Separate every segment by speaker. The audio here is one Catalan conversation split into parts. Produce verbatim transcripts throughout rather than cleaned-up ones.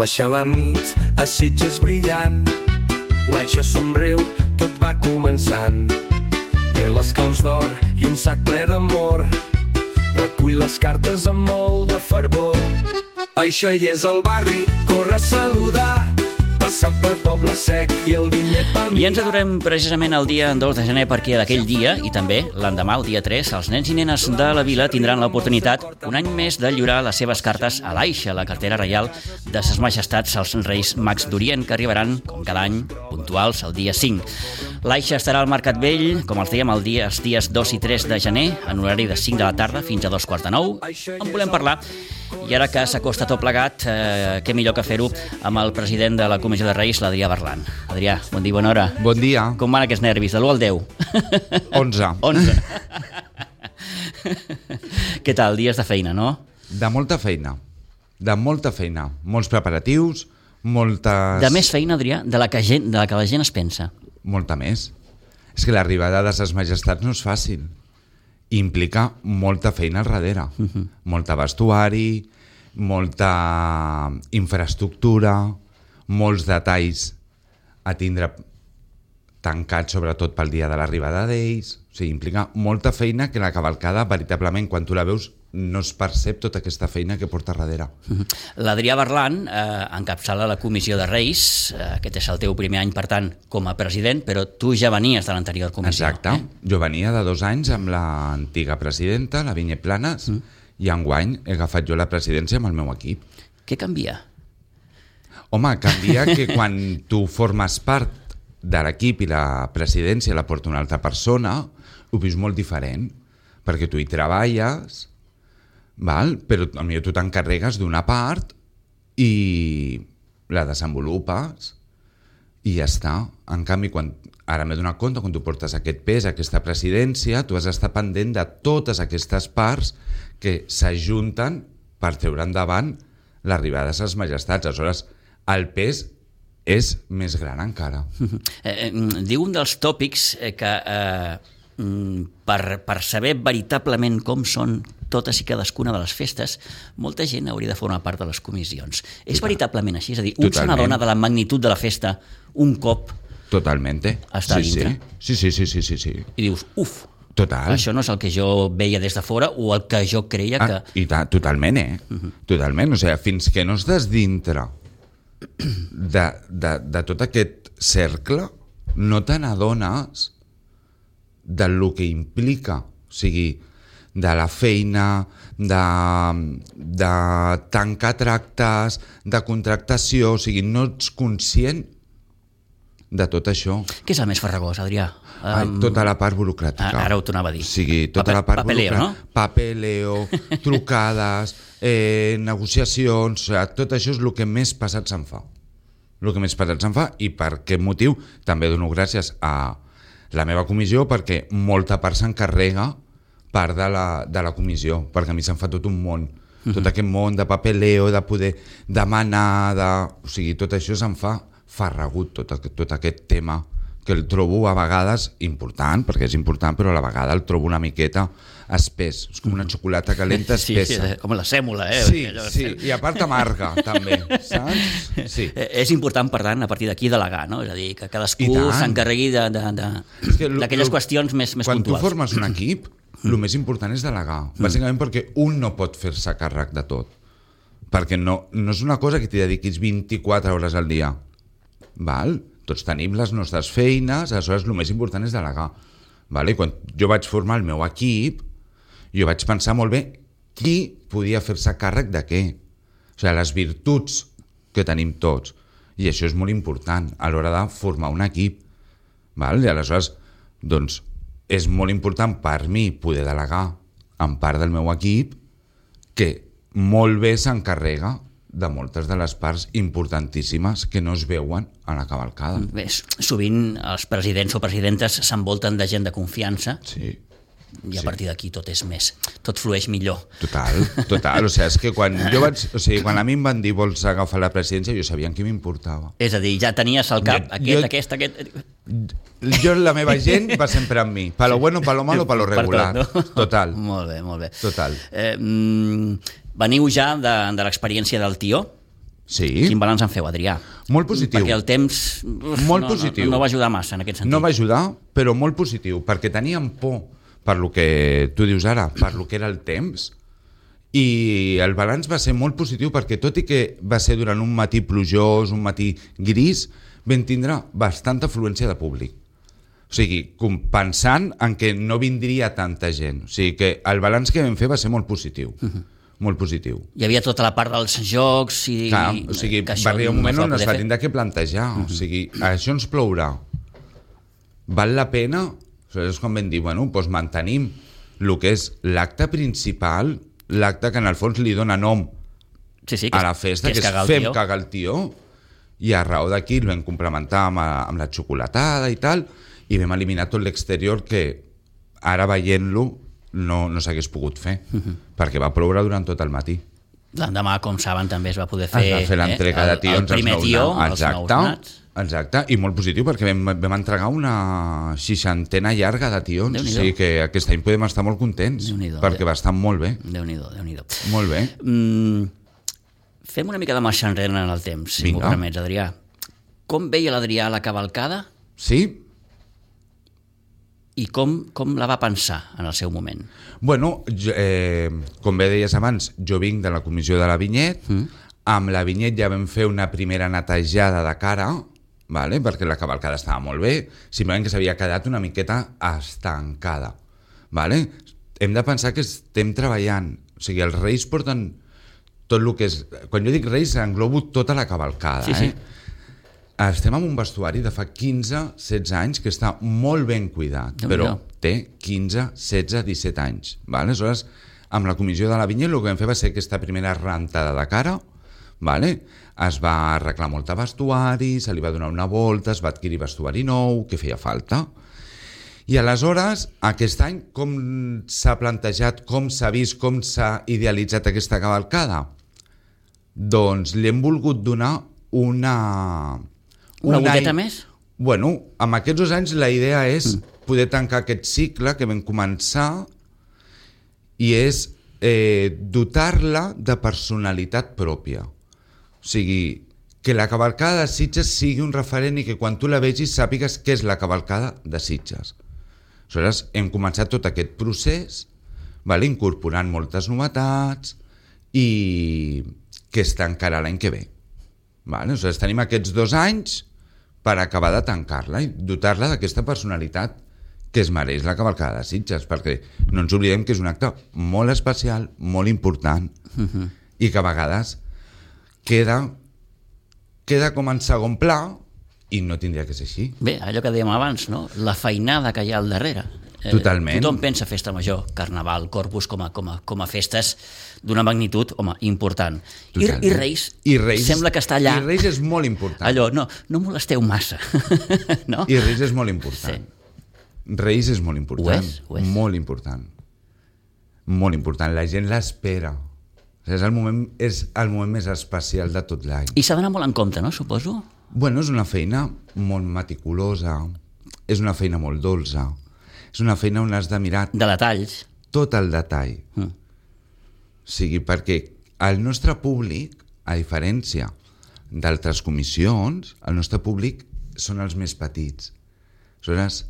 Speaker 1: baixa la nit, a Sitges brillant, l'Aixa somriu, tot va començant. Té les claus d'or i un sac ple d'amor, recull les cartes amb molt de fervor. Aixa hi és al barri, corre a saludar, passant per Poble Sec i el vinyet va mirar.
Speaker 2: I ens adorem precisament el dia dos de gener perquè d'aquell dia, i també l'endemà, el dia tres, els nens i nenes de la vila tindran l'oportunitat un any més de lliurar les seves cartes a l'Aixa, la cartera reial de Ses Majestats els Reis Mags d'Orient, que arribaran, com cada any, puntuals el dia cinc. L'Aixa estarà al Mercat Vell, com els dèiem, el dia, els dies dos i tres de gener, en horari de cinc de la tarda fins a dos quarts de nou. En volem parlar. I ara que s'acosta tot plegat, eh, què millor que fer-ho amb el president de la Comissió de Reis, l'Adrià Berlan. Adrià, bon dia, bona hora.
Speaker 3: Bon dia.
Speaker 2: Com van aquests nervis, de l'u al deu?
Speaker 3: onze.
Speaker 2: onze. Què tal, dies de feina, no?
Speaker 3: De molta feina, de molta feina. Molts preparatius, moltes...
Speaker 2: De més feina, Adrià, de la que, gent, de la, que la gent es pensa.
Speaker 3: Molta més. És que l'arribada de Ses Majestats no és fàcil. Implica molta feina al darrere, uh-huh. molta vestuari, molta infraestructura, molts detalls a tindre tancats, sobretot pel dia de l'arribada d'ells. O sigui, implica molta feina que la cavalcada, veritablement, quan tu la veus, no es percep tota aquesta feina que porta darrere.
Speaker 2: Uh-huh. L'Adrià Berlan eh, encapçala la Comissió de Reis, eh, aquest és el teu primer any, per tant, com a president, però tu ja venies de l'anterior comissió.
Speaker 3: Exacte.
Speaker 2: Eh?
Speaker 3: Jo venia de dos anys amb l'antiga presidenta, la Vinyet Planes, uh-huh. i enguany he agafat jo la presidència amb el meu equip.
Speaker 2: Què canvia?
Speaker 3: Home, canvia que quan tu formes part de l'equip i la presidència la porta una altra persona, ho veus molt diferent, perquè tu hi treballes, val? Però potser tu t'encarregues d'una part i la desenvolupes i ja està. En canvi, quan ara m'he donat compte, quan tu portes aquest pes, aquesta presidència, tu has d'estar pendent de totes aquestes parts que s'ajunten per treure endavant l'arribada de Ses Majestats. Aleshores, el pes és més gran encara.
Speaker 2: Eh, eh, diu un dels tòpics eh, que eh, per, per saber veritablement com són totes i cadascuna de les festes, molta gent hauria de formar part de les comissions. És veritablement així? És a dir, un se n'adona de la magnitud de la festa un cop
Speaker 3: Totalmente.
Speaker 2: està
Speaker 3: sí,
Speaker 2: dintre?
Speaker 3: Sí. Sí, sí, sí, sí, sí.
Speaker 2: I dius, uf,
Speaker 3: Total.
Speaker 2: això no és el que jo veia des de fora o el que jo creia que...
Speaker 3: Ah, i ta, totalment, eh? Uh-huh. Totalment. O sigui, fins que no estàs dintre de, de, de tot aquest cercle, no te n'adones del que implica. O sigui, de la feina, de, de tancar tractes, de contractació, o sigui, no ets conscient de tot això.
Speaker 2: Què és el més farragós, Adrià?
Speaker 3: Ai,
Speaker 2: Um,
Speaker 3: tota la part burocràtica.
Speaker 2: Ara ho tornava a dir.
Speaker 3: O sigui, tota
Speaker 2: Pape,
Speaker 3: la part
Speaker 2: papeleo,
Speaker 3: burocràtica.
Speaker 2: no?
Speaker 3: Papeleo, trucades, eh, negociacions, o sigui, tot això és el que més passat se'n fa. El que més passat se'n fa, i per aquest motiu també dono gràcies a la meva comissió, perquè molta part s'encarrega part de la, de la comissió, perquè a mi se'n fa tot un món. Uh-huh. Tot aquest món de papeleo, de poder demanar, de... o sigui, tot això se'n fa farragut, tot, tot aquest tema, que el trobo a vegades important, perquè és important, però a la vegada el trobo una miqueta espès. És com una xocolata calenta espessa.
Speaker 2: Sí, com la sèmola, eh?
Speaker 3: Sí, sí, i a part amarga, també, saps? Sí.
Speaker 2: És important, per tant, a partir d'aquí delegar, no? És a dir, que cadascú s'encarregui d'aquelles qüestions més, més
Speaker 3: quan
Speaker 2: puntuals.
Speaker 3: Quan tu formes un equip, el més important és delegar, bàsicament perquè un no pot fer-se càrrec de tot, perquè no, no és una cosa que t'hi dediquis vint-i-quatre hores al dia, val? Tots tenim les nostres feines, aleshores el més important és delegar, val? I quan jo vaig formar el meu equip, jo vaig pensar molt bé qui podia fer-se càrrec de què, o sigui, les virtuts que tenim tots, i això és molt important a l'hora de formar un equip, val? I aleshores, doncs, és molt important per mi poder delegar en part del meu equip que molt bé s'encarrega de moltes de les parts importantíssimes que no es veuen a la cavalcada.
Speaker 2: Bé, sovint els presidents o presidentes s'envolten de gent de confiança,
Speaker 3: sí,
Speaker 2: i a
Speaker 3: sí.
Speaker 2: partir d'aquí tot és més, tot flueix millor.
Speaker 3: Total, total. O sigui, és que quan jo vaig, o sigui, quan a mi em van dir vols agafar la presidència, jo sabia en qui m'importava.
Speaker 2: És a dir, ja tenies al cap
Speaker 3: jo,
Speaker 2: aquest,
Speaker 3: jo,
Speaker 2: aquest, aquest...
Speaker 3: Jo, la meva gent va sempre amb mi. Pa lo bueno, pa lo malo, pa lo regular.
Speaker 2: Per tot, no?
Speaker 3: Total.
Speaker 2: Molt bé, molt bé.
Speaker 3: Total.
Speaker 2: Eh, mm, veniu ja de, de l'experiència del Tió,
Speaker 3: Sí.
Speaker 2: Quin balanç en feu, Adrià?
Speaker 3: Molt positiu.
Speaker 2: Perquè el temps uf,
Speaker 3: molt
Speaker 2: no,
Speaker 3: positiu.
Speaker 2: No, no va ajudar massa en aquest sentit.
Speaker 3: No va ajudar, però molt positiu, perquè teníem por per lo que tu dius ara, per lo que era el temps, i el balanç va ser molt positiu perquè tot i que va ser durant un matí plujós, un matí gris, vam tindre bastanta afluència de públic. O sigui, compensant en què no vindria tanta gent. O sigui que el balanç que vam fer va ser molt positiu. Uh-huh. Molt positiu.
Speaker 2: Hi havia tota la part dels jocs i...
Speaker 3: Clar, o sigui, va arribar un moment on es va tindre que plantejar. Uh-huh. O sigui, això ens plourà. Val la pena? És com vam dir, bueno, doncs mantenim el que és l'acte principal, l'acte que en el fons li dona nom
Speaker 2: sí, sí, que
Speaker 3: a la festa, que, que és
Speaker 2: cagar
Speaker 3: fem cagar el tió, i a raó d'aquí el vam complementar amb, amb la xocolatada i tal, i vam eliminar tot l'exterior que ara veient-lo no, no s'hagués pogut fer, uh-huh. perquè va ploure durant tot el matí.
Speaker 2: L'endemà, com saben, també es va poder fer,
Speaker 3: es va fer l'entrega eh? de tions,
Speaker 2: el, el primer tió, els nous nats.
Speaker 3: Exacte, i molt positiu perquè vam, vam entregar una seixantena llarga de tions, o sigui que aquest any podem estar molt contents, perquè va estar molt bé.
Speaker 2: Déu-n'hi-do, Déu-n'hi-do.
Speaker 3: Molt bé.
Speaker 2: Mm, fem una mica de marxa enrere en el temps, si m'ho permets, Adrià. Com veia l'Adrià la cavalcada?
Speaker 3: Sí.
Speaker 2: I com, com la va pensar en el seu moment?
Speaker 3: Bueno, jo, eh, com bé deies abans, jo vinc de la comissió de la Vinyet, mm. amb la Vinyet ja vam fer una primera netejada de cara, vale? Perquè la cavalcada estava molt bé, simplement que s'havia quedat una miqueta estancada. Vale? Hem de pensar que estem treballant, o sigui, els Reis porten tot el que és... Quan jo dic Reis, englobo tota la cavalcada, sí, sí. eh? Estem en un vestuari de fa quinze setze anys que està molt ben cuidat, no, però no. té quinze, setze, disset anys. Vale? Aleshores, amb la comissió de la Vinyet, el que vam fer va ser aquesta primera rentada de cara, vale? Es va arreglar molt de vestuari, se li va donar una volta, es va adquirir vestuari nou, que feia falta. I aleshores, aquest any, com s'ha plantejat, com s'ha vist, com s'ha idealitzat aquesta cavalcada? Doncs li hem volgut donar una...
Speaker 2: Una
Speaker 3: un
Speaker 2: goteta
Speaker 3: any...
Speaker 2: més?
Speaker 3: Bueno, amb aquests dos anys la idea és mm. poder tancar aquest cicle que vam començar i és eh, dotar-la de personalitat pròpia. O sigui, que la cavalcada de Sitges sigui un referent i que quan tu la vegis sàpigues què és la cavalcada de Sitges. Aleshores, hem començat tot aquest procés, vale, incorporant moltes novetats i que es tancarà l'any que ve. Vale? Aleshores, tenim aquests dos anys per acabar de tancar-la i dotar-la d'aquesta personalitat que es mereix la cavalcada de Sitges, perquè no ens oblidem que és un acte molt especial, molt important, uh-huh. i que a vegades queda, queda com en segon pla i no tindria que ser així.
Speaker 2: Bé, allò que dèiem abans, no? La feinada que hi ha al darrere.
Speaker 3: Totalment.
Speaker 2: Eh, tothom pensa festa major, carnaval, Corpus com a, com a, com a festes d'una magnitud, home, important. I, i, Reis,
Speaker 3: I Reis
Speaker 2: sembla que està allà.
Speaker 3: I Reis és molt important.
Speaker 2: Allò, no, no molesteu massa. No?
Speaker 3: I Reis és molt important. Sí. Reis és molt important.
Speaker 2: Ho és, ho és.
Speaker 3: Molt important. Molt important. La gent l'espera. És el moment, és el moment més especial de tot l'any.
Speaker 2: I s'ha d'anar molt en compte, no, suposo?
Speaker 3: Bueno, és una feina molt meticulosa, és una feina molt dolça, és una feina on has de mirar...
Speaker 2: De detalls.
Speaker 3: Tot el detall. Mm. O sigui, perquè el nostre públic, a diferència d'altres comissions, el nostre públic són els més petits. Aleshores,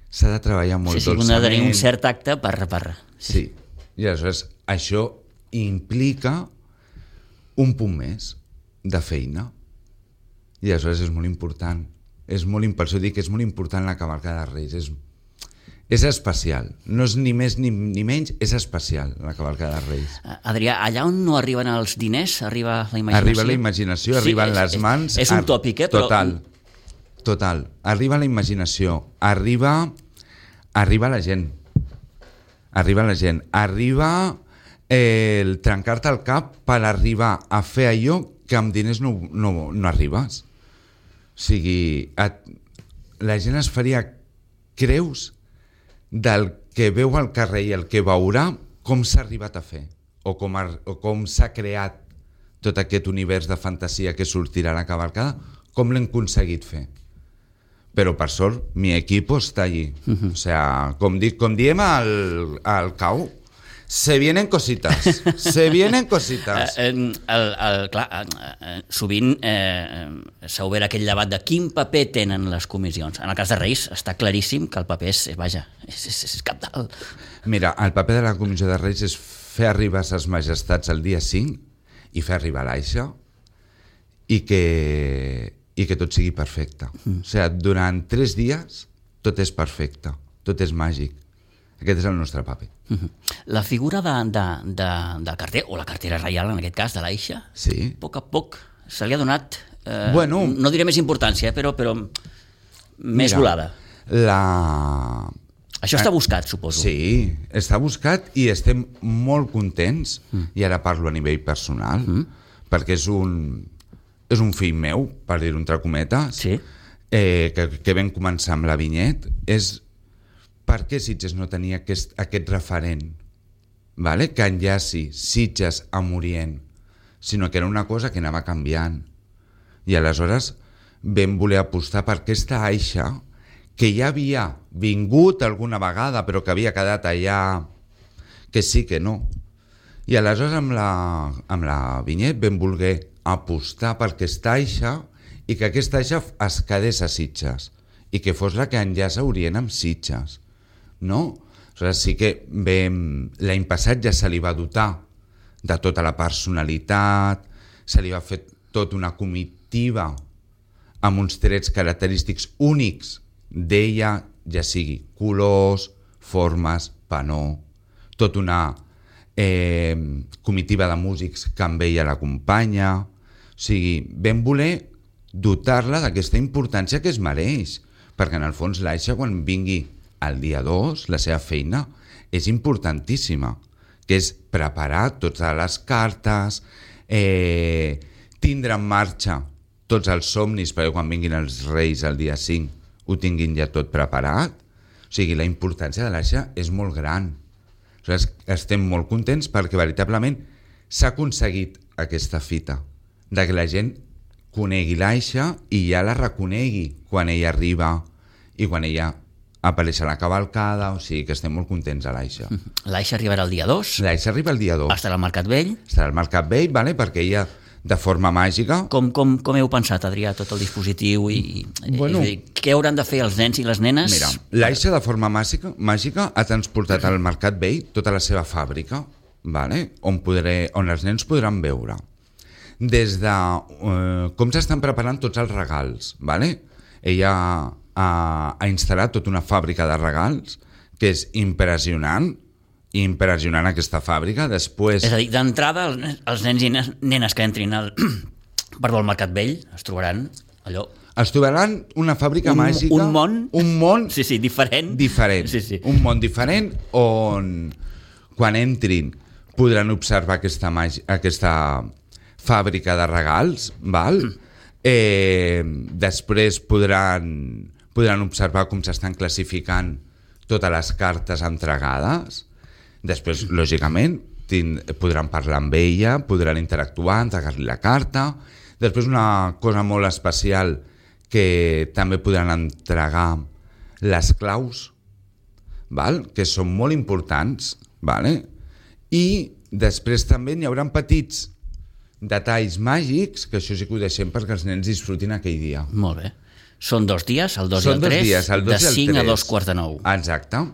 Speaker 3: s'ha de treballar molt
Speaker 2: sí, sí,
Speaker 3: dolçament.
Speaker 2: Sí, ha de tenir un cert tacte per... per...
Speaker 3: Sí. sí, i aleshores això implica un punt més de feina. I aleshores és molt important. És molt, per això dic que és molt important la cavalcada de Reis. És, és especial. No és ni més ni, ni menys, és especial la cavalcada de Reis.
Speaker 2: Adrià, allà on no arriben els diners, arriba la imaginació?
Speaker 3: Arriba la imaginació, sí, arriben és, les mans...
Speaker 2: És, és un tòpic, eh?
Speaker 3: Total, però... total. Arriba la imaginació, arriba, arriba la gent. Arriba la gent. Arriba eh, el trencar-te el cap per arribar a fer allò que amb diners no, no, no arribes. O sigui, et, la gent es faria creus del que veu al carrer i el que veurà com s'ha arribat a fer o com, ha, o com s'ha creat tot aquest univers de fantasia que sortirà a la cavalcada, com l'hem aconseguit fer. Però per sort mi equip està allí. Uh-huh. O sea, com, di, com diem al, al C A U, Se vienen cositas, se vienen cositas.
Speaker 2: Eh, eh, el, el, clar, eh, eh, sovint eh, s'ha obert aquell debat de quin paper tenen les comissions. En el cas de Reis està claríssim que el paper és, vaja, és, és, és cabdal.
Speaker 3: Mira, el paper de la Comissió de Reis és fer arribar ses majestats el dia cinc i fer arribar l'Aixa i que, i que tot sigui perfecte. Mm. O sigui, durant tres dies tot és perfecte, tot és màgic. Aquest és el nostre paper.
Speaker 2: Uh-huh. La figura de, de, de, del carter, o la cartera reial en aquest cas, de l'Aixa,
Speaker 3: sí.
Speaker 2: a poc a poc se li ha donat, eh,
Speaker 3: bueno,
Speaker 2: no diré més importància, però, però més
Speaker 3: mira,
Speaker 2: volada.
Speaker 3: La...
Speaker 2: Això està buscat, suposo.
Speaker 3: Sí, està buscat i estem molt contents, mm. i ara parlo a nivell personal, mm. perquè és un, és un fill meu, per dir-ho entre cometes,
Speaker 2: sí.
Speaker 3: eh, que, que vam començar amb la Vinyet, és per què Sitges no tenia aquest, aquest referent, vale? Que enllaci Sitges amb Orient, sinó que era una cosa que anava canviant. I aleshores vam voler apostar per aquesta Aixa que ja havia vingut alguna vegada però que havia quedat allà, que sí que no. I aleshores amb la, amb la Vinyet vam voler apostar per aquesta Aixa i que aquesta Aixa es quedés a Sitges i que fos la que enllaça Orient amb Sitges. No? Aleshores sí que vam... l'any passat ja se li va dotar de tota la personalitat, se li va fer tota una comitiva amb uns trets característics únics d'ella, ja sigui colors, formes, panó, tota una eh, comitiva de músics que amb ella l'acompanya. O sigui, vam voler dotar-la d'aquesta importància que es mereix, perquè en el fons l'Aixa quan vingui el dia dos, la seva feina és importantíssima, que és preparar totes les cartes, eh, tindre en marxa tots els somnis perquè quan vinguin els Reis el dia cinc ho tinguin ja tot preparat. O sigui, la importància de l'Aixa és molt gran. Aleshores, estem molt contents perquè veritablement s'ha aconseguit aquesta fita, de que la gent conegui l'Aixa i ja la reconegui quan ella arriba i quan ella apareix a la cavalcada, o sigui que estem molt contents a l'Aixa.
Speaker 2: L'Aixa arribarà el dia dos?
Speaker 3: L'Aixa arriba el dia dos.
Speaker 2: Estarà al Mercat Vell?
Speaker 3: Estarà al Mercat Vell, vale? Perquè ella, de forma màgica...
Speaker 2: Com, com, com heu pensat, Adrià, tot el dispositiu? I,
Speaker 3: bueno,
Speaker 2: i, què hauran de fer els nens i les nenes?
Speaker 3: Mira, l'Aixa de forma màgica, màgica ha transportat al Mercat Vell tota la seva fàbrica, vale? on, podré, on els nens podran veure. Des de eh, com s'estan preparant tots els regals, vale? Ella ha, ha instal·lat tota una fàbrica de regals que és impressionant, impressionant aquesta fàbrica. Després...
Speaker 2: És a dir, d'entrada, els, els nens i nenes que entrin al, perdó, al Mercat Vell es trobaran allò...
Speaker 3: Es trobaran una fàbrica
Speaker 2: un,
Speaker 3: màgica...
Speaker 2: Un món...
Speaker 3: Un món...
Speaker 2: Sí, sí, diferent.
Speaker 3: Diferent.
Speaker 2: Sí, sí.
Speaker 3: Un món diferent on, quan entrin, podran observar aquesta, màgia, aquesta fàbrica de regals, val? Eh, després podran, podran observar com s'estan classificant totes les cartes entregades. Després, lògicament, tind, podran parlar amb ella, podran interactuar, entregar-li la carta. Després, una cosa molt especial que també podran entregar les claus, val? Que són molt importants, vale? I després també n'hi haurà petits detalls màgics, que això sí que ho deixem perquè els nens disfrutin aquell dia.
Speaker 2: Molt bé. Són dos dies, el dos
Speaker 3: Són
Speaker 2: i el tres,
Speaker 3: dies, el dos
Speaker 2: de cinc a dos quarts de nou.
Speaker 3: Exacte.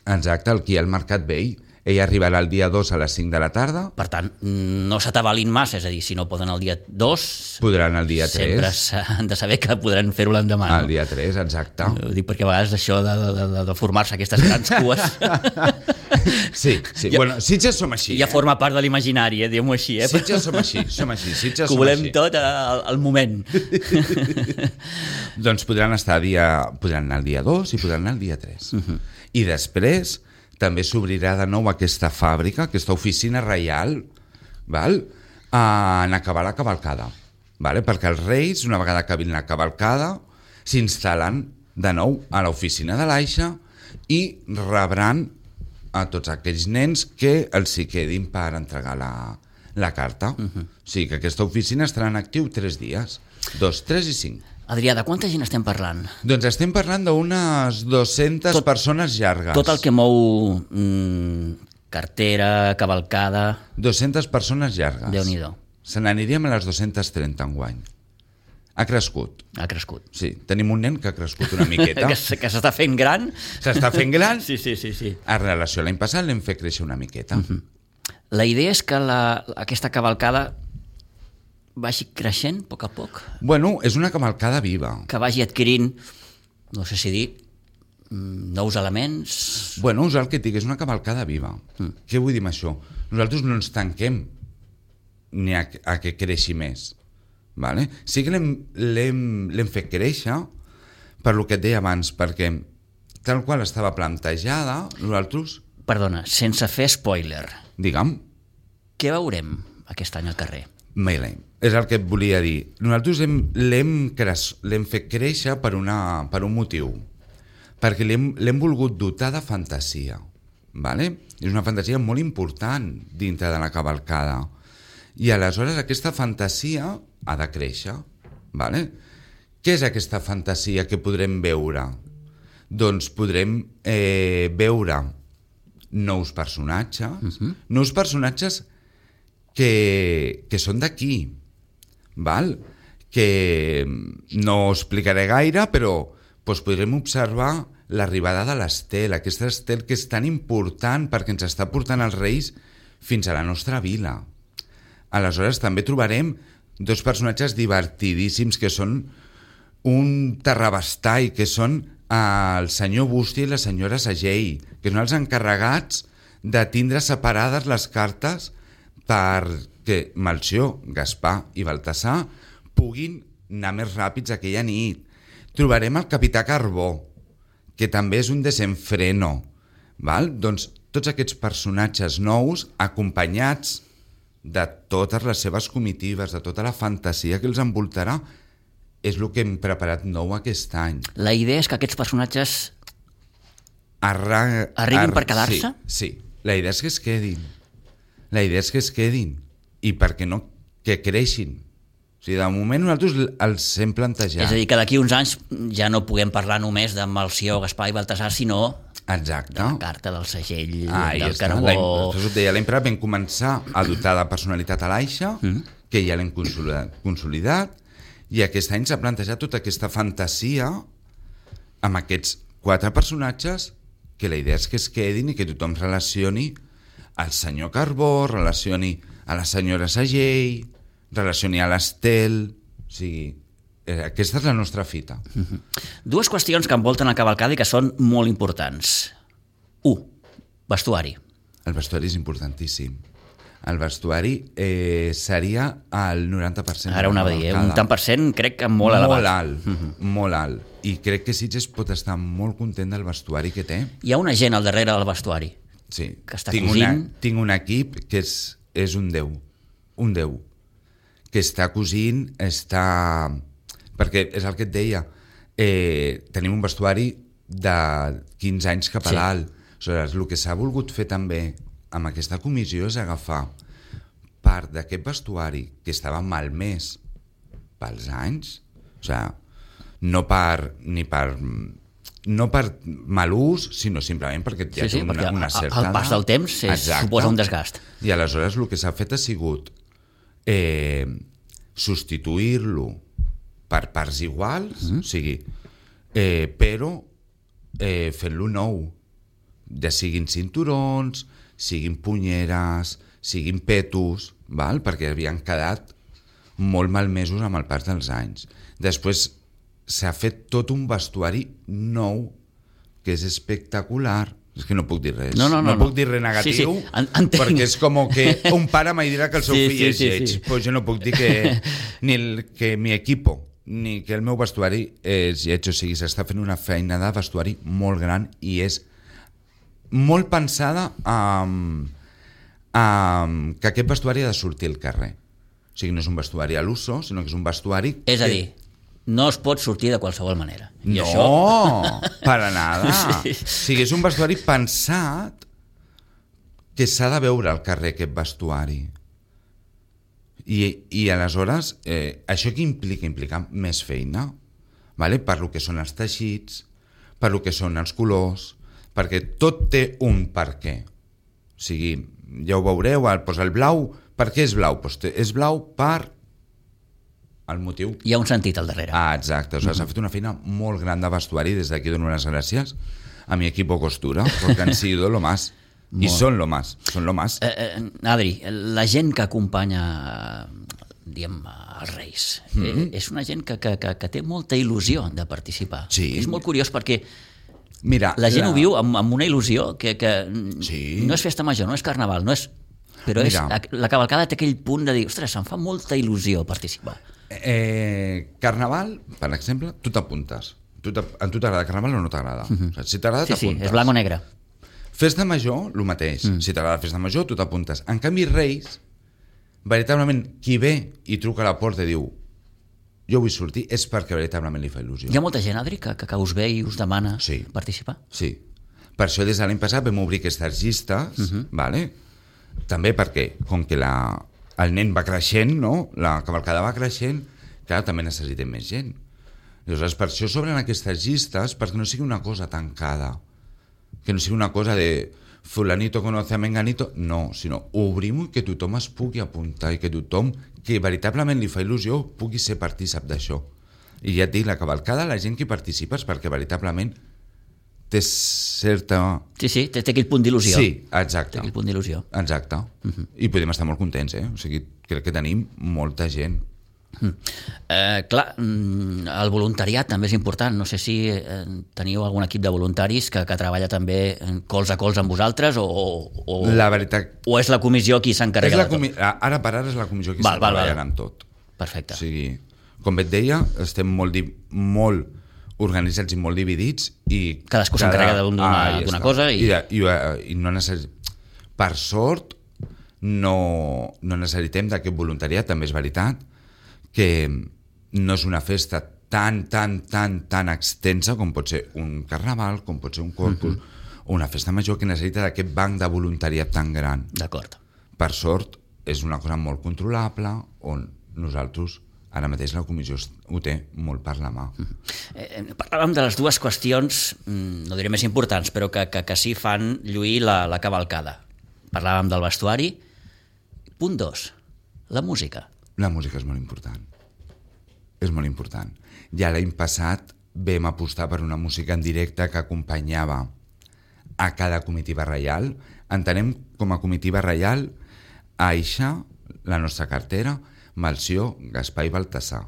Speaker 3: Exacte, aquí al Mercat Vell. Ella arribarà el dia dos a les cinc de la tarda.
Speaker 2: Per tant, no s'atabalin massa, és a dir, si no poden el dia dos...
Speaker 3: Podran el dia tres.
Speaker 2: Sempre s'han de saber que podran fer-ho l'endemà.
Speaker 3: El dia tres, exacte.
Speaker 2: Ho dic perquè a vegades això de, de, de, de formar-se aquestes grans cues...
Speaker 3: Sí, sí. Ja, bueno, Sitges som així.
Speaker 2: Ja
Speaker 3: eh?
Speaker 2: forma part de l'imaginari, eh? Diguem-ho així. Eh?
Speaker 3: Sitges som així, som així. Sitges
Speaker 2: que ho volem tot al, al moment.
Speaker 3: Doncs podran estar dia, podran anar el dia dos i podran anar el dia tres. Uh-huh. I després també s'obrirà de nou aquesta fàbrica, aquesta oficina reial, val? En acabar la cavalcada. Vale? Perquè els reis, una vegada acabin la cavalcada, s'instal·len de nou a l'oficina de l'Aixa i rebran a tots aquells nens que els hi quedin per entregar la, la carta. Uh-huh. O sigui que aquesta oficina estarà en actiu tres dies, dos, tres i cinc.
Speaker 2: Adrià, de quanta gent estem parlant?
Speaker 3: Doncs estem parlant d'unes dues-centes tot, persones llargues.
Speaker 2: Tot el que mou mm, cartera, cavalcada...
Speaker 3: dues-centes persones llargues.
Speaker 2: Déu-n'hi-do.
Speaker 3: Se n'aniríem a les dues-centes trenta enguany. Ha crescut.
Speaker 2: Ha crescut.
Speaker 3: Sí, tenim un nen que ha crescut una miqueta.
Speaker 2: que que s'està fent gran.
Speaker 3: S'està fent gran.
Speaker 2: Sí, sí, sí, sí.
Speaker 3: En relació a l'any passat l'hem fet créixer una miqueta.
Speaker 2: Uh-huh. La idea és que la, aquesta cavalcada vagi creixent a poc a poc,
Speaker 3: Bueno, és una cavalcada viva.
Speaker 2: que vagi adquirint, no sé si dir, mm, nous elements...
Speaker 3: Bueno, és el que et dic, és una cavalcada viva.
Speaker 2: Mm.
Speaker 3: Què vull dir amb això? Nosaltres no ens tanquem ni a, a que creixi més. Vale? Sí que l'hem, l'hem, l'hem fet créixer per lo que et deia abans, perquè tal qual estava plantejada, nosaltres,
Speaker 2: Perdona, sense fer spoiler,
Speaker 3: diguem,
Speaker 2: què veurem aquest any al carrer?
Speaker 3: Mele, és el que et volia dir. Nosaltres hem, l'hem, cres, l'hem fet créixer per, una, per un motiu, perquè l'hem, l'hem volgut dotar de fantasia. Vale? És una fantasia molt important dintre de la cavalcada. I aleshores aquesta fantasia ha de créixer. Vale? Què és aquesta fantasia que podrem veure? Doncs podrem eh, veure nous personatges, uh-huh. nous personatges que, que són d'aquí, val? Que no ho explicaré gaire, però doncs podrem observar l'arribada de l'estel, aquesta estel que és tan important perquè ens està portant els Reis fins a la nostra vila. Aleshores també trobarem dos personatges divertidíssims que són un terrabastall, que són el senyor Bústia i la senyora Sagell, que són els encarregats de tindre separades les cartes perquè Melcior, Gaspar i Baltasar puguin anar més ràpids aquella nit. Trobarem el capità Carbó, que també és un desenfreno. Val? Doncs tots aquests personatges nous, acompanyats de totes les seves comitives, de tota la fantasia que els envoltarà, és el que hem preparat nou aquest any.
Speaker 2: La idea és que aquests personatges
Speaker 3: Arra...
Speaker 2: arribin
Speaker 3: Ar...
Speaker 2: per quedar-se?
Speaker 3: Sí, sí, la idea és que es quedin. La idea és que es quedin. I perquè no, que creixin. O sigui, de moment nosaltres els hem plantejat.
Speaker 2: És a dir, que d'aquí uns anys ja no puguem parlar només de Melcior, Gaspar i Baltasar, sinó
Speaker 3: Exacte.
Speaker 2: de la carta, del segell,
Speaker 3: ah,
Speaker 2: del
Speaker 3: està.
Speaker 2: carbó...
Speaker 3: L'any, deia, l'any passat vam començar a dotar de personalitat a l'Aixa, mm. que ja l'hem consolidat, consolidat, i aquest any s'ha plantejat tota aquesta fantasia amb aquests quatre personatges que la idea és que es quedin i que tothom relacioni al senyor Carbó, relacioni a la senyora Sagell, relacioni a l'Estel, o sigui, eh, aquesta és la nostra fita.
Speaker 2: Uh-huh. Dues qüestions que envolten la cavalcada i que són molt importants. U, vestuari.
Speaker 3: El vestuari és importantíssim. El vestuari eh, seria el noranta per cent.
Speaker 2: Ara ho anava a dir, eh? Un tant per cent crec que molt elevat.
Speaker 3: Molt alt, uh-huh. molt alt. I crec que Sitges pot estar molt content del vestuari que té.
Speaker 2: Hi ha una gent al darrere del vestuari.
Speaker 3: Sí,
Speaker 2: que està
Speaker 3: tinc,
Speaker 2: cosint...
Speaker 3: una, tinc un equip que és, és un déu, un déu, que està cosint, està... Perquè és el que et deia, eh, tenim un vestuari de quinze anys cap a sí. dalt. Aleshores, el que s'ha volgut fer també amb aquesta comissió és agafar part d'aquest vestuari que estava malmès pels anys, o sigui, no per, ni per... no per mal ús, sinó simplement perquè ja
Speaker 2: sí, sí,
Speaker 3: té una, una certa...
Speaker 2: el pas del temps és, suposa un desgast.
Speaker 3: I aleshores el que s'ha fet ha sigut eh, substituir-lo per parts iguals, mm-hmm. o sigui, eh, però eh, fent-lo nou, ja siguin cinturons, siguin punyeres, siguin petos, val? Perquè havien quedat molt malmesos amb el pas dels anys. Després s'ha fet tot un vestuari nou que és espectacular. És que no puc dir res.
Speaker 2: No, no, no,
Speaker 3: no, no. puc dir res negatiu,
Speaker 2: sí, sí. En, entenc.
Speaker 3: Perquè és com que un pare mai dirà que el seu
Speaker 2: sí,
Speaker 3: fill
Speaker 2: sí,
Speaker 3: és
Speaker 2: sí,
Speaker 3: lleig.
Speaker 2: sí.
Speaker 3: Pues jo no puc dir que ni el, que mi equipo ni que el meu vestuari és lleig. O sigui, s'està fent una feina de vestuari molt gran i és molt pensada amb, amb que aquest vestuari ha de sortir al carrer. O sigui, no és un vestuari a l'uso, sinó que és un vestuari...
Speaker 2: És a
Speaker 3: que...
Speaker 2: dir, no es pot sortir de qualsevol manera. I
Speaker 3: no,
Speaker 2: això...
Speaker 3: para nada.
Speaker 2: Sí.
Speaker 3: O sigui, és un vestuari pensat que s'ha de veure al carrer, aquest vestuari. I, i aleshores, eh, això què implica? Implica més feina, vale? Per lo que són els teixits, per lo que són els colors, perquè tot té un per què. O sigui, ja ho veureu, el, doncs el blau, per què és blau? Doncs és blau per el motiu.
Speaker 2: Hi ha un sentit al darrere.
Speaker 3: Ah, exacte. O sigui, mm-hmm. S'ha fet una feina molt gran de vestuari, des d'aquí dono les gràcies a mi equipo costura, perquè han sido lo más. I són lo más, són lo más.
Speaker 2: Eh, eh, Adri, la gent que acompanya, diguem, els Reis, mm-hmm. eh, és una gent que, que, que, que té molta il·lusió de participar.
Speaker 3: Sí.
Speaker 2: És molt curiós perquè
Speaker 3: Mira,
Speaker 2: la gent
Speaker 3: la...
Speaker 2: ho viu amb, amb una il·lusió que, que
Speaker 3: sí.
Speaker 2: no és festa major, no és carnaval, no és... però és, la cavalcada té aquell punt de dir, ostres, em fa molta il·lusió participar.
Speaker 3: Eh, carnaval, per exemple, tu t'apuntes. Tu a tu t'agrada carnaval o no t'agrada? Mm-hmm. O sigui, si t'agrada,
Speaker 2: sí,
Speaker 3: t'apuntes.
Speaker 2: Sí, és blanc o negre.
Speaker 3: Festa major, el mateix. Mm. Si t'agrada festa major, tu t'apuntes. En canvi, Reis, veritablement, qui ve i truca a la porta i diu jo vull sortir, és perquè veritablement li fa il·lusió.
Speaker 2: Hi ha molta gent, Adri, que, que, que us ve i us demana
Speaker 3: sí.
Speaker 2: participar?
Speaker 3: Sí. Per això des de l'any passat vam obrir aquestes llistes, uh-huh. vale? També perquè, com que la, el nen va creixent, no? La cavalcada va creixent, clar, també necessitem més gent. Llavors, per això s'obren aquestes llistes, perquè no sigui una cosa tancada, que no sigui una cosa de fulanito conoce a menganito, no, sinó obrim que tothom es pugui apuntar i que tothom que veritablement li fa il·lusió pugui ser partícip d'això. I ja et dic, la cavalcada, la gent que participa és perquè veritablement té certa...
Speaker 2: Sí, sí, té, té aquell punt d'il·lusió.
Speaker 3: Sí, exacte.
Speaker 2: Té aquell punt d'il·lusió.
Speaker 3: Exacte. Uh-huh. I podem estar molt contents, eh? O sigui, crec que tenim molta gent.
Speaker 2: Mm. Eh, clar, el voluntariat també és important. No sé si eh, teniu algun equip de voluntaris que, que treballa també cols a cols amb vosaltres o, o,
Speaker 3: la veritat...
Speaker 2: o és la comissió qui s'encarrega de
Speaker 3: comi... tot? Ara per ara és la comissió qui
Speaker 2: val,
Speaker 3: està
Speaker 2: val,
Speaker 3: treballant
Speaker 2: val.
Speaker 3: amb tot.
Speaker 2: Perfecte.
Speaker 3: O sigui, com et deia, estem molt, di... molt organitzats i molt dividits i...
Speaker 2: Cadascú cada... s'encarrega d'una
Speaker 3: ah,
Speaker 2: cosa i...
Speaker 3: I, i, i no necess... Per sort no, no necessitem d'aquest voluntariat, també és veritat que no és una festa tan, tan, tan, tan extensa com pot ser un carnaval, com pot ser un corpus, uh-huh. o una festa major que necessita d'aquest banc de voluntariat tan gran.
Speaker 2: D'acord.
Speaker 3: Per sort, és una cosa molt controlable, on nosaltres, ara mateix la comissió ho té molt per la mà.
Speaker 2: Uh-huh. Eh, parlàvem de les dues qüestions, no diré més importants, però que, que, que sí fan lluir la, la cavalcada. Parlàvem del vestuari. Punt dos, la música.
Speaker 3: La música és molt important. És molt important. Ja l'any passat vam apostar per una música en directe que acompanyava a cada comitiva reial. Entenem com a comitiva reial Aixa, la nostra cartera, Melcior, Gaspar i Baltasar.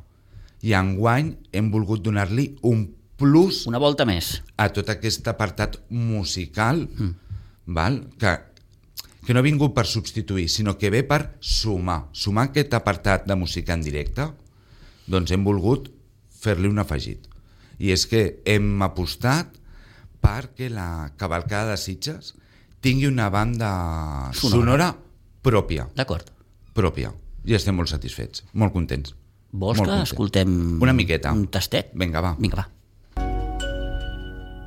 Speaker 3: I enguany hem volgut donar-li un plus...
Speaker 2: Una volta més.
Speaker 3: A tot aquest apartat musical, mm. val? que que no ha vingut per substituir, sinó que ve per sumar. Sumar aquest apartat de música en directe, doncs hem volgut fer-li un afegit. I és que hem apostat perquè la cavalcada de Sitges tingui una banda sonora, sonora pròpia.
Speaker 2: D'acord.
Speaker 3: Pròpia. I estem molt satisfets, molt contents.
Speaker 2: Vols molt que contents. Escoltem
Speaker 3: una miqueta?
Speaker 2: Un tastet?
Speaker 3: Vinga, va.
Speaker 2: Vinga, va.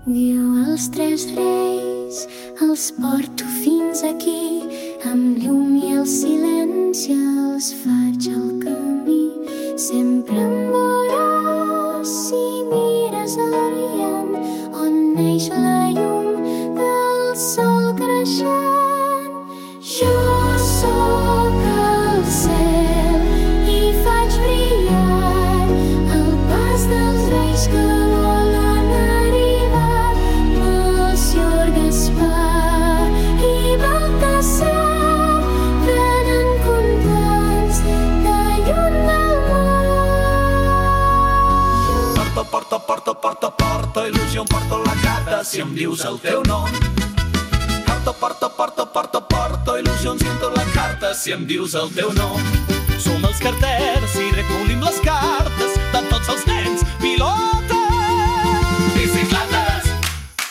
Speaker 4: Diu els tres reis, els porto fins aquí, amb llum i el silenci els faig el camí. Sempre em veuràs si mires a l'Orient, on neix la llum del sol creixent. Jo sóc el cel i faig brillar el pas dels reis que volen arribar. Melcior, Gaspar i Baltasar venen contents de lluny del món.
Speaker 1: Porta, porta, porta, porta, porta, il·lusió em porta la gata si em dius el teu nom. Porta, porta, porta, porta, porta, il·lusions i la carta si em dius el teu nom. Som els carters i recollim les cartes de tots els nens pilotes. Bicicletes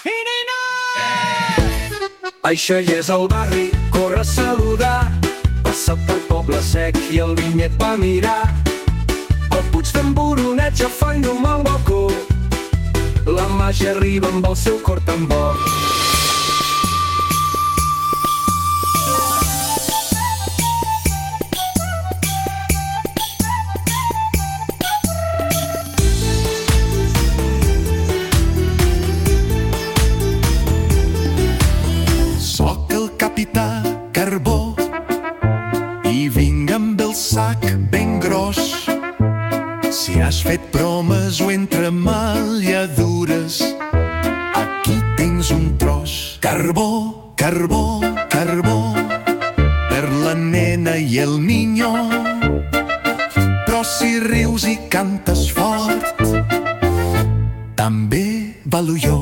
Speaker 1: i nines. Eh! Això ja és el barri, corre a saludar. Passa pel poble sec i el vinyet va mirar. El Puig d'en Boronet ja fa llum al balcó. La màgia arriba amb el seu cor tan bo.
Speaker 5: Soc el capità
Speaker 1: sac ben gros. Si has fet bromes o entre malladures, aquí tens un tros. Carbó, carbó, carbó, per la nena i el niño. Però si rius i cantes fort, també ballo jo.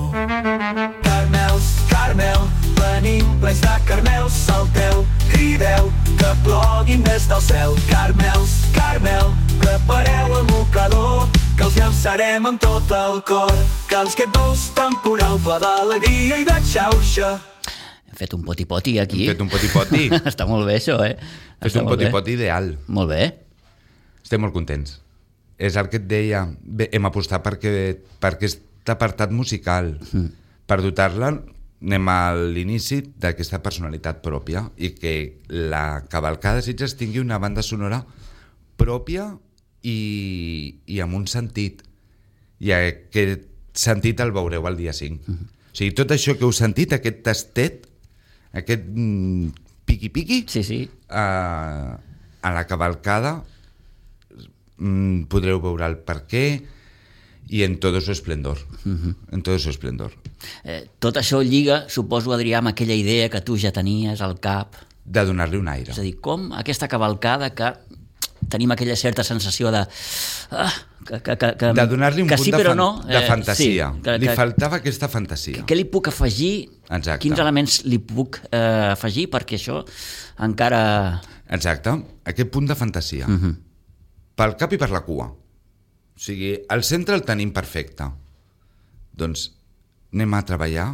Speaker 1: Carmels, Carmel, venim plens de carmels, salteu, crideu, que ploguin des del cel. Carmels, Carmel, prepareu el mocador, que els llançarem amb tot el cor. Que els qued dolç temporal, ple d'alegria i de xauxa.
Speaker 2: Hem fet un poti-poti aquí.
Speaker 3: Hem fet un poti-poti.
Speaker 2: Està molt bé, això, eh?
Speaker 3: Hem fet un poti-poti ideal.
Speaker 2: Molt bé.
Speaker 3: Estem molt contents. És el que et deia, bé, hem apostat perquè, per aquest apartat musical, mm. per dotar-la, anem a l'inici d'aquesta personalitat pròpia i que la cavalcada de Sitges tingui una banda sonora pròpia i, i amb un sentit. I aquest sentit el veureu el dia cinc. Mm. O sigui, tot això que heu sentit, aquest tastet, aquest mm, piqui-piqui,
Speaker 2: sí, sí.
Speaker 3: A, a la cavalcada mm, podreu veure el per què i en tot su esplendor. Uh-huh. En tot su esplendor.
Speaker 2: Eh, tot això lliga, suposo, Adrià, amb aquella idea que tu ja tenies al cap.
Speaker 3: De donar-li un aire.
Speaker 2: És a dir, com aquesta cavalcada que tenim aquella certa sensació de... Ah, que, que, que, que,
Speaker 3: de donar-li un
Speaker 2: que
Speaker 3: punt
Speaker 2: sí,
Speaker 3: de, fan,
Speaker 2: no,
Speaker 3: de fantasia.
Speaker 2: Sí, que,
Speaker 3: li
Speaker 2: que,
Speaker 3: faltava aquesta fantasia.
Speaker 2: Què li puc afegir?
Speaker 3: Exacte.
Speaker 2: Quins elements li puc eh, afegir perquè això encara...
Speaker 3: Exacte, aquest punt de fantasia. Uh-huh. Pel cap i per la cua. O sigui, el centre el tenim perfecte. Doncs anem a treballar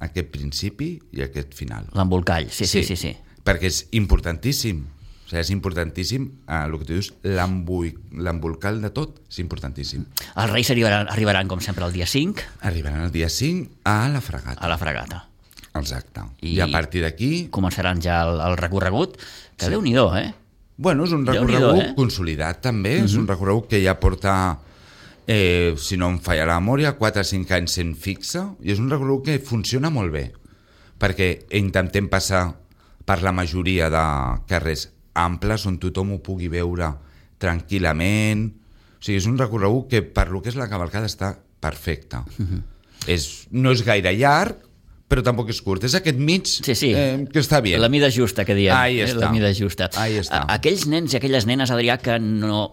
Speaker 3: aquest principi i aquest final.
Speaker 2: L'embolcall, sí, sí, sí, sí, sí.
Speaker 3: Perquè és importantíssim. O sigui, és importantíssim, eh, el que tu dius, l'embolcall de tot és importantíssim.
Speaker 2: Els Reis arribaran, arribaran, com sempre, el dia cinc.
Speaker 3: Arribaran el dia cinc a la Fragata.
Speaker 2: A la Fragata.
Speaker 3: Exacte. I, I a partir d'aquí...
Speaker 2: Començaran ja el, el recorregut, que sí. Déu-n'hi-do, eh?
Speaker 3: Bueno, és un recorregut eh? consolidat, també. Uh-huh. És un recorregut que ja porta, eh, si no em falla la memòria, quatre o cinc anys sent fixa, i és un recorregut que funciona molt bé, perquè intentem passar per la majoria de carrers amples on tothom ho pugui veure tranquil·lament. O sigui, és un recorregut que per lo que és la cavalcada està perfecte. Uh-huh. És, no és gaire llarg, però tampoc és curt. És aquest mig
Speaker 2: sí, sí.
Speaker 3: Eh, que està bé.
Speaker 2: La mida justa, que diem.
Speaker 3: Ahí està.
Speaker 2: La mida justa.
Speaker 3: Ahí està.
Speaker 2: Aquells nens i aquelles nenes, Adrià, que no,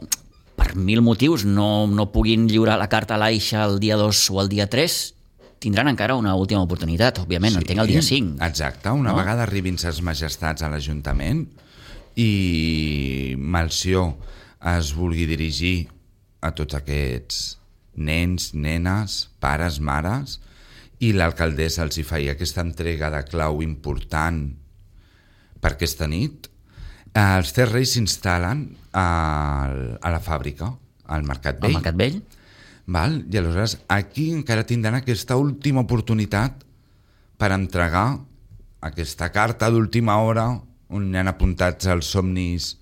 Speaker 2: per mil motius no, no puguin lliurar la carta a l'Aixa el dia dos o el dia tres, tindran encara una última oportunitat, òbviament, sí. Entenc el dia cinc.
Speaker 3: Exacte. Una no? vegada arribin ses majestats a l'Ajuntament i Melcior es vulgui dirigir a tots aquests nens, nenes, pares, mares, i l'alcaldessa els hi feia aquesta entrega de clau important per aquesta nit, els tres reis s'instal·len a, a la fàbrica, al Mercat Vell.
Speaker 2: Al Mercat Vell.
Speaker 3: Val? I aleshores aquí encara tindran aquesta última oportunitat per entregar aquesta carta d'última hora on hi han apuntats els somnis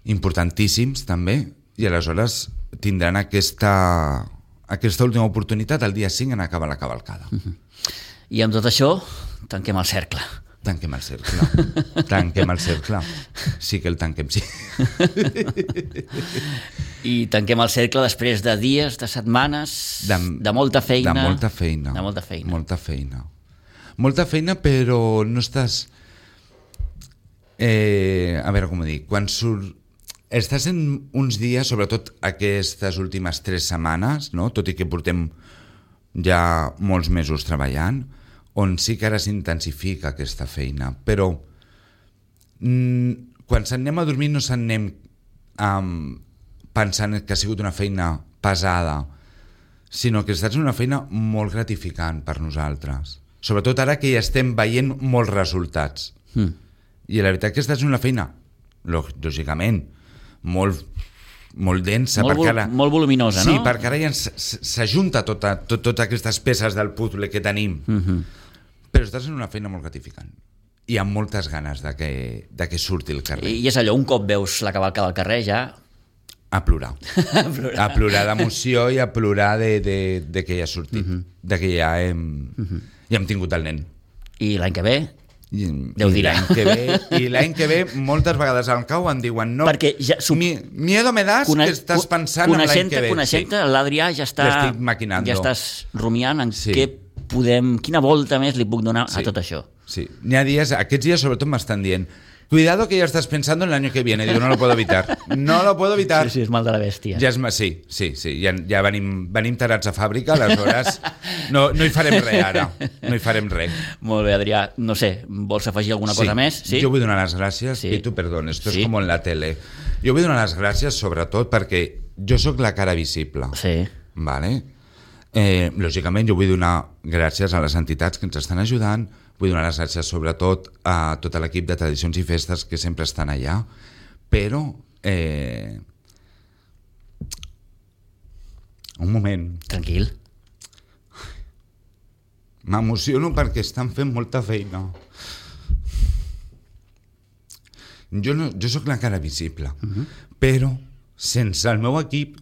Speaker 3: importantíssims també, i aleshores tindran aquesta... aquesta última oportunitat el dia cinc en acabar la cavalcada. Uh-huh.
Speaker 2: I amb tot això tanquem el cercle.
Speaker 3: Tanquem el cercle. Tanquem el cercle. Sí que el tanquem, sí.
Speaker 2: I tanquem el cercle després de dies, de setmanes, de, de molta feina.
Speaker 3: De molta feina.
Speaker 2: De molta feina.
Speaker 3: Molta feina. Molta feina, però no estàs... Eh, a veure com ho dic. Quan surt... Estàs en uns dies, sobretot aquestes últimes tres setmanes, no? Tot i que portem ja molts mesos treballant, on sí que ara s'intensifica aquesta feina, però mm, quan s'anem a dormir no s'anem um, pensant que ha sigut una feina pesada, sinó que estàs en una feina molt gratificant per nosaltres, sobretot ara que ja estem veient molts resultats. Mm. I la veritat que estàs en una feina, lògicament, molt, molt densa.
Speaker 2: Molt,
Speaker 3: perquè ara,
Speaker 2: molt voluminosa,
Speaker 3: sí,
Speaker 2: no?
Speaker 3: Sí, perquè ara ja s'ajunta tota, tot, totes aquestes peces del puzzle que tenim. Uh-huh. Però estàs en una feina molt gratificant. I amb moltes ganes de que, de que surti el carrer.
Speaker 2: I és allò, un cop veus la cavalcada al carrer ja...
Speaker 3: A plorar. a plorar. A plorar d'emoció i a plorar de, de, de que ja ha sortit. Uh-huh. De que ja hem, uh-huh. ja hem tingut el nen.
Speaker 2: I l'any que ve...
Speaker 3: I,
Speaker 2: Déu
Speaker 3: i
Speaker 2: dirà.
Speaker 3: l'any que ve, i l'any que ve moltes vegades al cau em diuen no,
Speaker 2: Perquè ja sub-
Speaker 3: mi, miedo me das
Speaker 2: Cone-
Speaker 3: que estàs pensant en l'any
Speaker 2: coneixent-te,
Speaker 3: que ve.
Speaker 2: Coneixent-te, l'Adrià ja està...
Speaker 3: Ja estic maquinando.
Speaker 2: Ja estàs rumiant en
Speaker 3: Sí.
Speaker 2: què podem... Quina volta més li puc donar
Speaker 3: Sí.
Speaker 2: a tot això.
Speaker 3: Sí, n'hi ha dies, aquests dies sobretot m'estan dient cuidado que ya estás pensando en el año que viene. Digo, no lo puedo evitar. No lo puedo evitar.
Speaker 2: Sí, sí, és mal de la bèstia.
Speaker 3: Ja és, ma- sí, sí, sí. Ja, ja venim, venim tarats a fàbrica, aleshores no, no hi farem res ara. No hi farem res.
Speaker 2: Molt bé, Adrià. No sé, vols afegir alguna cosa més? Sí?
Speaker 3: Jo vull donar les gràcies,
Speaker 2: Sí.
Speaker 3: sí. Pitu, perdón, esto
Speaker 2: Sí.
Speaker 3: es como en la tele. Jo vull donar les gràcies sobretot perquè jo sóc la cara visible.
Speaker 2: Sí.
Speaker 3: Vale? Eh, lògicament jo vull donar gràcies a les entitats que ens estan ajudant, vull donar les gràcies sobretot a tot l'equip de Tradicions i Festes que sempre estan allà, però eh, un moment,
Speaker 2: Tranquil.
Speaker 3: m'emociono perquè estan fent molta feina. Jo, no, jo sóc la cara visible, uh-huh. però sense el meu equip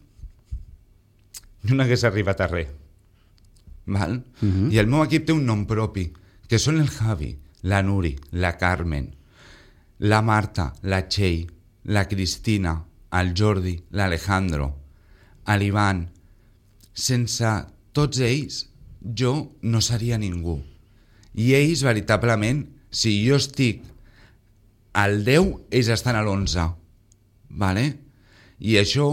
Speaker 3: jo no hagués arribat a res. Val? Uh-huh. I el meu equip té un nom propi, que són el Javi, la Nuri, la Carmen, la Marta, la Txell, la Cristina, el Jordi, l'Alejandro, l'Ivan. Sense tots ells, jo no seria ningú. I ells, veritablement, si jo estic al deu, ells estan a l'onze. Vale? I això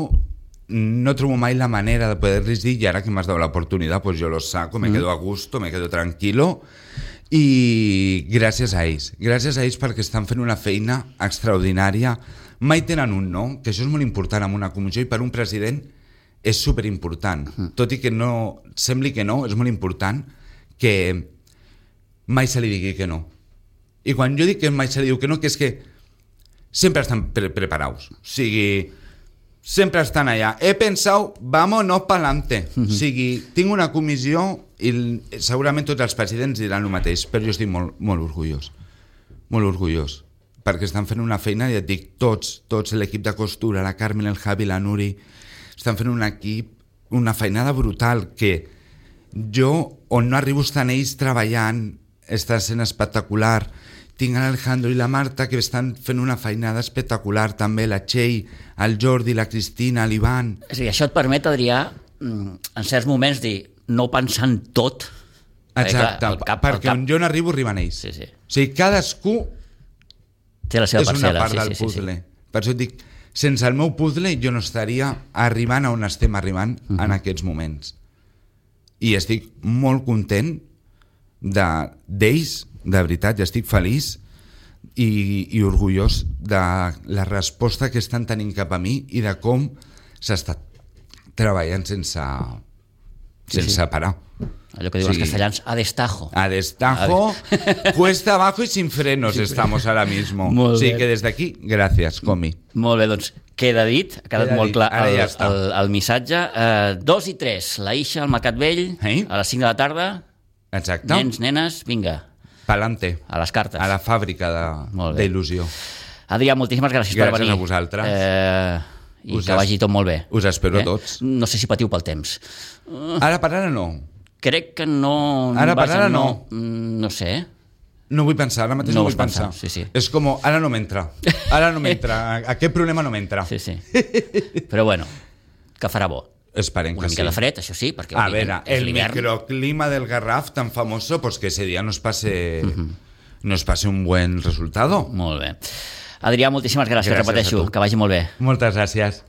Speaker 3: no trobo mai la manera de poder-les dir, i ara que m'has dado la oportunidad, pues yo lo saco, me mm. quedo a gusto, me quedo tranquilo, i gràcies a ells, gràcies a ells perquè estan fent una feina extraordinària, mai tenen un no, que això és molt important en una comissió i per un president és superimportant, mm. tot i que no sembli que no, és molt important que mai se li digui que no. I quan jo dic que mai se li diu que no, que és que sempre estan pre preparats, o sigui, sempre estan allà. He pensat, vámonos pa'lante. Uh-huh. O sigui, tinc una comissió i segurament tots els presidents diran el mateix, però jo estic molt, molt orgullós. Molt orgullós. Perquè estan fent una feina, ja et dic, tots, tots l'equip de costura, la Carmen, el Javi, la Nuri, estan fent un equip, una feinada brutal que jo, on no arribo estan ells treballant, està sent espectacular. Tinc l'Alejandro i la Marta que estan fent una feinada espectacular també, la Txell, el Jordi, la Cristina, l'Ivan.
Speaker 2: És a dir, això et permet, Adrià, en certs moments dir no pensar en tot.
Speaker 3: Exacte,
Speaker 2: clar, el cap,
Speaker 3: perquè
Speaker 2: el cap...
Speaker 3: on jo no arribo arriben ells.
Speaker 2: Sí, sí.
Speaker 3: O sigui, cadascú
Speaker 2: té la seva
Speaker 3: és
Speaker 2: parcel·la.
Speaker 3: una part
Speaker 2: sí,
Speaker 3: del
Speaker 2: sí,
Speaker 3: puzzle.
Speaker 2: Sí, sí.
Speaker 3: Per això et dic, sense el meu puzzle jo no estaria arribant a on estem arribant uh-huh. en aquests moments. I estic molt content d'ells, de, de veritat, i estic feliç i, i orgullós de la resposta que estan tenint cap a mi i de com s'està treballant sense, sense
Speaker 2: sí, sí.
Speaker 3: parar.
Speaker 2: Allò que diuen sí. els castellans, a destajo.
Speaker 3: A destajo, a cuesta abajo y sin frenos sí, estamos ahora mismo.
Speaker 2: Molt
Speaker 3: sí,
Speaker 2: bé.
Speaker 3: que des d'aquí, gràcies, Comi.
Speaker 2: Molt bé, doncs queda dit, ha quedat
Speaker 3: Queda
Speaker 2: molt
Speaker 3: dit.
Speaker 2: clar
Speaker 3: Ara
Speaker 2: el,
Speaker 3: ja està.
Speaker 2: el, el missatge. Uh, dos i tres, la Ixa al Mercat Vell,
Speaker 3: Eh?
Speaker 2: a les cinc de la tarda.
Speaker 3: Exacte.
Speaker 2: Nens, nenes, vinga,
Speaker 3: Pa'lante.
Speaker 2: a les cartes.
Speaker 3: A la fàbrica
Speaker 2: Molt
Speaker 3: de-
Speaker 2: bé.
Speaker 3: d'il·lusió.
Speaker 2: Adrià, moltíssimes gràcies, per
Speaker 3: Gràcies
Speaker 2: venir.
Speaker 3: a vosaltres.
Speaker 2: Eh, I
Speaker 3: Us
Speaker 2: que
Speaker 3: es-
Speaker 2: vagi tot molt bé.
Speaker 3: us espero a tots.
Speaker 2: No sé si patiu pel temps.
Speaker 3: Ara per ara no.
Speaker 2: Crec que no...
Speaker 3: Ara per
Speaker 2: vaja,
Speaker 3: ara
Speaker 2: no. Mm, No sé.
Speaker 3: No vull pensar, ara mateix
Speaker 2: No
Speaker 3: no, vull
Speaker 2: vols pensar,
Speaker 3: pensar.
Speaker 2: sí, sí.
Speaker 3: És com, ara no m'entra. Ara no m'entra. Aquest problema no m'entra.
Speaker 2: Sí, sí. Però bueno, que farà bo.
Speaker 3: Esperem
Speaker 2: Una
Speaker 3: que
Speaker 2: mica
Speaker 3: sí.
Speaker 2: de fred, això sí, perquè
Speaker 3: A
Speaker 2: òbviament,
Speaker 3: veure,
Speaker 2: és
Speaker 3: el
Speaker 2: l'hivern.
Speaker 3: microclima del Garraf tan famoso, pues que ese día nos pase,
Speaker 2: Mhm.
Speaker 3: nos pase un buen resultado.
Speaker 2: Molt bé. Adrià, moltíssimes gràcies,
Speaker 3: Gràcies a
Speaker 2: repeteixo,
Speaker 3: tu.
Speaker 2: que vagi molt bé.
Speaker 3: Moltes gràcies.